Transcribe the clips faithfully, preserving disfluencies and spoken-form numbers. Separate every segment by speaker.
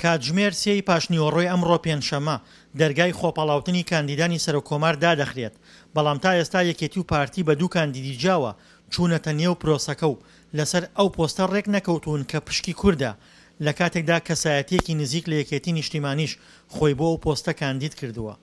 Speaker 1: کاتژمێر سێی پاشنیوەڕۆی ئەمڕۆ پێنجشەممە، دەرگای خۆپاڵاوتنی کاندیدانی سەرۆککۆمار دادەخرێت، بەڵام تا ئێستا یەکێتی و پارتی بە دوو کاندیدی جیاوە چوونەتە نێو پرۆسەکە و لەسەر ئەو پۆستە رێکنەکەوتوون کە پشکی کوردە، لەکاتێکدا کەسایەتییەکی نزیک لە یەکێتی نیشتیمانیش خۆی بۆ ئەو پۆستە کاندید کردووە.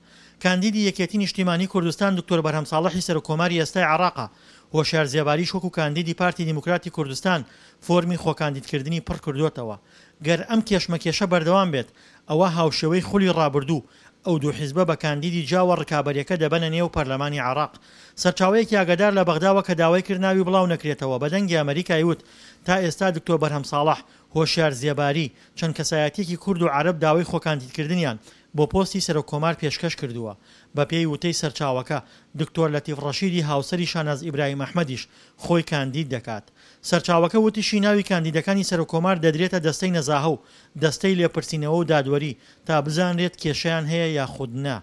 Speaker 1: کاندیدی یەکێتی نیشتیمانی کوردستان دکتۆر بەرهەم ساڵحی سەرۆککۆماری ئێستای عێراقە، هۆشیار زێباریش وەکو کاندیدی پارتی دیموکراتی کوردستان فۆرمی خۆکاندیدکردنی پڕکردووەتەوە. گەر ئەم کێشمەکێشە بەردەوام بێت، ئەوا هاوشێوەی خولی ڕابردوو، ئەو دوو حیزبە بە کاندیدی جیاوە ڕکابەریەکە دەبەنە نێو پەرلەمانی عێراق. سەرچاوەیەکی ئاگادار لە بەغداوە کە داوای کرد ناوی بڵاو نەکرێتەوە بە دەنگی ئەمەریکای وت تا ئێستا دکتۆر بەرهەم ساڵح، هۆشیار زێباری، چەند کەسایەتیەکی کورد و عەرەب داوای خۆکاندیدکردنیان بۆ پۆستی سەرۆک کۆمار پێشکەش کردووە. بەپێی وتەی سەرچاوەکە، دکتۆر لەتیف ڕەشیدی هاوسەری شاناز ئیبراهیم ئەحمەدیش خۆی کاندید دەکات. سەرچاوەکە وتیشی ناوی کاندیدەکانی سەرۆک کۆمار دەدرێتە دەستەی نەزاهە و دەستەی لێپرسینەوە و دادوەری تا بزانرێت کێشەیان هەیە یاخود نا.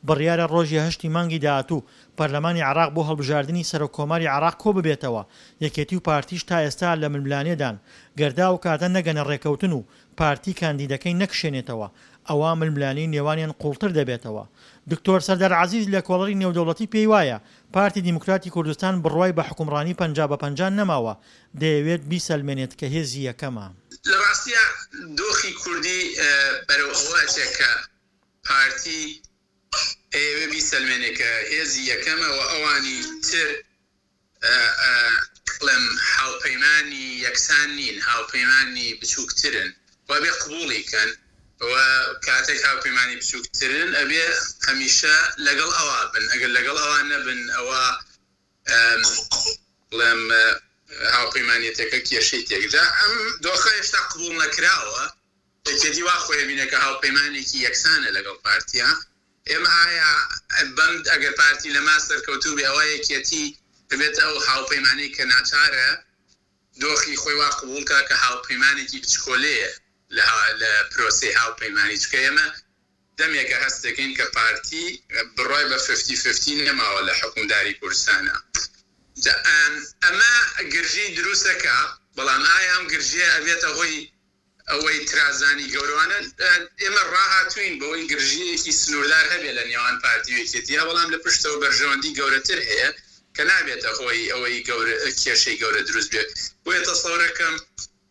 Speaker 1: بڕیارە ڕۆژی هەشتی مانگی داهاتوو پەرلەمانی عێراق بۆ هەڵبژاردنی سەرۆک کۆماری عێراق کۆببێتەوە، یەکێتی و پارتیش تا ئێستا لە ململانێدان، گەر تا ئەو کاتە نەگەنە ڕێکەوتن و پارتی کاندیدەکەی نەکشێنێتەوە ئەوا ململانێی نێوانیان قوڵتر دەبێتەوە. دکتۆر سەردار عەزیز لێکۆڵەری نێودەوڵەتی پێی وایە پارتی دیموکراتی کوردستان بڕوای بە حوکمڕانی پەنجا بە پەنجا نەماوە، دەیەوێت بیسەلمێنێت کە هێزی یەکەمە.
Speaker 2: لە ڕاستیا دۆخی کوردی بەرەو ئەوە ئەچێ کە پارتی ئەیەوێ بیسەلمێنێ کە هێزی یەکەمە و ئەوانی تر بڵێم هاوپەیمانی یەکسان نین، هاوپەیمانی بچووکترن و ئەبێ قبوڵی کەن و کاتێک هاوپەیمانی بچووکترن ئەبێ هەمیشە لەگەڵ ئەوا بن، ئەگەر لەگەڵ ئەوا نەبن ئەوە بڵێم هاوپەیمانێتەکە کێشەی تێکدا. ئەم دۆخە هێشتا قبوڵ نەکراوە. یەکێتی وا خۆی بینە کە هاوپەیمانێکی یەکسانە لەگەڵ پارتیا. ئێمە ئایا بەم ئەگەر پارتی لەما سەرکەوتوو بێ ئەوە یەکێتی دەبێت ئەو هاوپەیمانەی کە ناچارە دۆخی خۆی وا قبوڵ کا کە هاوپەیمانێکی بچکۆلەیە لە پرۆسەی هاوپەیمانی، چونکە ئێمە دەمێکە هەست دەکەین کە پارتی بڕای بە ففتی ففتی نەماوە لە حکومداری کوردستانە. ئەمە گرژی دروستەکە، بەڵام ئایا ئەم گرژیە ئەبێتە هۆی ئەوەی ترازانی گەورەوانە؟ ئێمە ڕاهاتوین بەوەی گرژیەکی سنووردار هەبێ لە نێوان پارتی و یەکێتیە، بەڵام لە پشتەوە بەرژەوەندی گەورەتر هەیە کە نابێتە هۆی ئەوەی کێشەی گەورە دروست بێت. بۆیە تەسەورەکەم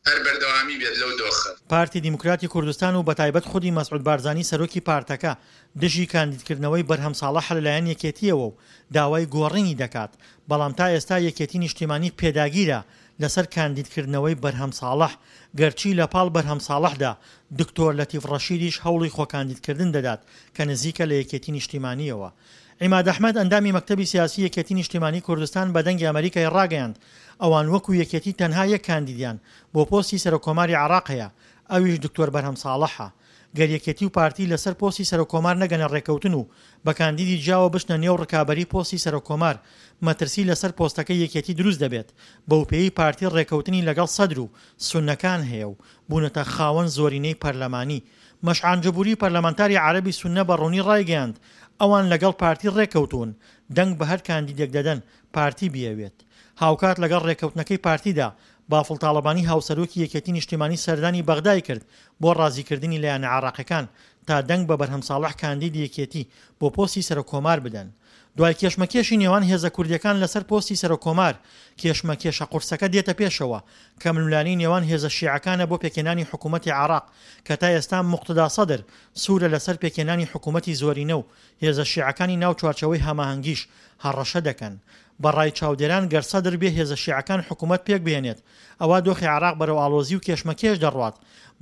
Speaker 2: هەر بەردەوامی بێت لەو دۆخە.
Speaker 1: پارتی دیموکراتی کوردستان و بەتایبەت خودی مەسعود بارزانی سەرۆکی پارتەکە دژی کاندیدکردنەوەی بەرهەم ساڵح لەلایەن یەکێتیەوە و داوای گۆڕینی دەکات، بەڵام تا ئێستا یەکێتی نیشتیمانی پێداگیرە لەسەر کاندیدکردنەوەی بەرهەم ساڵح، گەرچی لە پاڵ بەرهەم ساڵحدا دکتۆر لەتیف ڕەشیدیش هەوڵی خۆکاندیدکردن دەدات کە نزیکە لە یەکێتی نیشتیمانیەوە. عیماد ئەحمەد ئەندامی مەکتەبی سیاسی یەکێتی نیشتیمانی کوردستان بە دەنگی ئەمەریکای ڕاگەیاند ئەوان وەکو یەکێتی تەنها یەک کاندیدیان بۆ پۆستی سەرۆککۆماری عێراق هەیە، ئەویش دکتۆر بەرهەم ساڵحە. گەر یەکێتی و پارتی لەسەر پۆستی سەرۆککۆمار نەگەنە ڕێکەوتن و بە کاندیدی جیاوە بچنە نێو ڕکابەری پۆستی سەرۆککۆمار، مەترسی لەسەر پۆستەکەی یەکێتی دروست دەبێت، بەوپێیەی پارتی ڕێکەوتنی لەگەڵ سەدر و سوننەکان هەیە و بوونەتە خاوەن زۆرینەی پەرلەمانی. مەشعان جبوری پەرلەمانتاری عەرەبی سوننە بە ڕوونی ڕایگەیاند ئەوان لەگەڵ پارتی ڕێکەوتوون دەنگ بە هەر کاندیدێک دەدەن پارتی بیەوێت. هاوکات لەگەڵ ڕێکەوتنەکەی پارتیدا بافڵ تاڵەبانی هاوسەرۆکی یەکێتی نیشتیمانی سەردانی بەغدای کرد بۆ ڕازیکردنی لایەنە عێراقیەکان تا دەنگ بە بەرهەم ساڵح کاندیدی یەکێتی بۆ پۆستی سەرۆککۆمار بدەن. دوای کێشمەکێشی نێوان هێزە کوردیەکان لەسەر پۆستی سەرۆککۆمار، کێشمەکێشە قورسەکە دێتە پێشەوە کە ململانێی نێوان هێزە شیعەکانە بۆ پێکهێنانی حکوومەتی عێراق کە تا ئێستا موقتەدا سەدر سوورە لەسەر پێکهێنانی حکوومەتی زۆرینە و هێزە شیعەکانی ناو چوارچێوەی هەماهەنگیش هەڕەشە دەکەن. بە ڕای چاودێران گەر سەدر بێ هێزە شیعەکان حکوومەت پێکبهێنێت ئەوا دۆخی عێراق بەرەو ئاڵۆزی و کێشمەکێش دەڕوات،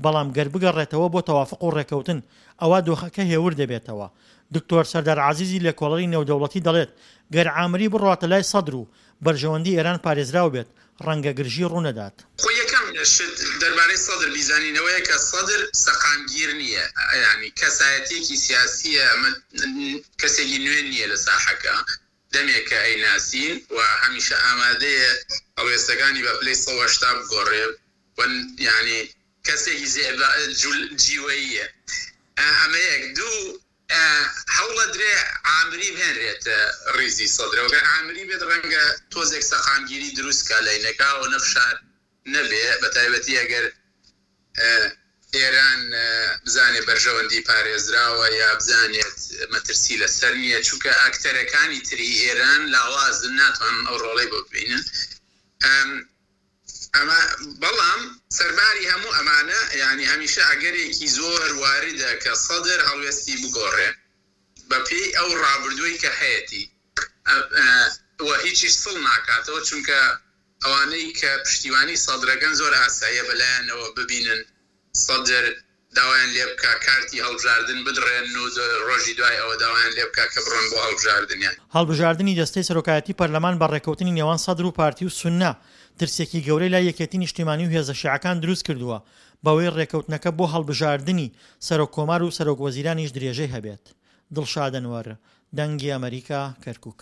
Speaker 1: بەڵام گەر بگەڕێتەوە بۆ تەوافق و ڕێکەوتن ئەوا دۆخەکە هێور دەبێتەوە. دکتۆر سەردار عەزیزی لێکۆڵەری نێودەوڵەتی دەڵێت گەر عامری بڕواتە لای سەدر و بەرژەوەندی ئێران پارێزراو بێت ڕەنگە گرژی ڕوونەدات.
Speaker 2: خۆ یەکەم شت دەربارەی سەدر بیزانین ئەوەیە کە سەدر سەقامگیر نییە، یانی کەسایەتییەکی سیاسییە، ئەمە کەسێکی نوێ نییە لە ساحەکە، دەمێکە ئەیناسین و هەمیشە ئامادەیە هەڵوێستەکانی بە پلەی سەد و هەشتا بگۆڕێ و یانی کەسێکی جیوەییە. ئەمە یەک. دوو، هەوڵەدرێ عامری بهێنرێتە ڕیزی سەدرەوە، گەر عامری بێت ڕەنگە تۆزێک سەقامگیری دروست کا لەینەکا و نەفشار نەبێ، بە تایبەتی ئەگەر ئێران بزانێ بەرژەوەندی پارێزراوە یا بزانێت مەترسی لەسەر نییە، چونکە ئەکتەرەکانی تری ئێران لاوازن، ناتوانن ئەو ڕۆڵەی بۆ ببینن. ئەمە بەڵام سەرباری هەموو ئەمانە، یعنی هەمیشە ئەگەرێکی زۆر واردە کە سەدر هەڵوێستی بگۆڕێ بەپێی ئەو ڕابردووی کە هەیەتی و هیچیش سڵ ناکاتەوە، چونکە ئەوانەی کە پشتیوانی سەدرەکەن زۆر ئاساییە بەلایەنەوە ببینن سەدر داوایان لێ بکا کارتی هەڵبژاردن بدڕێن و ڕۆژی دوای ئەوە داوایان لێ بکا کە بڕۆن بۆ هەڵبژاردنیان.
Speaker 1: هەڵبژاردنی دەستەی سەرۆکایەتی پەرلەمان بە ڕێککەوتنی نێوان سەدر و پارتی و سوننە ترسێکی گەورەی لای یەکێتی نیشتیمانی و هێزە شیعەکان دروست کردووە، بەوەی ڕێککەوتنەکە بۆ هەڵبژاردنی سەرۆک کۆمار و سەرۆک وەزیرانیش درێژەی هەبێت. دڵشاد ئەنوەر، دەنگی ئەمەریکا، کەرکوک.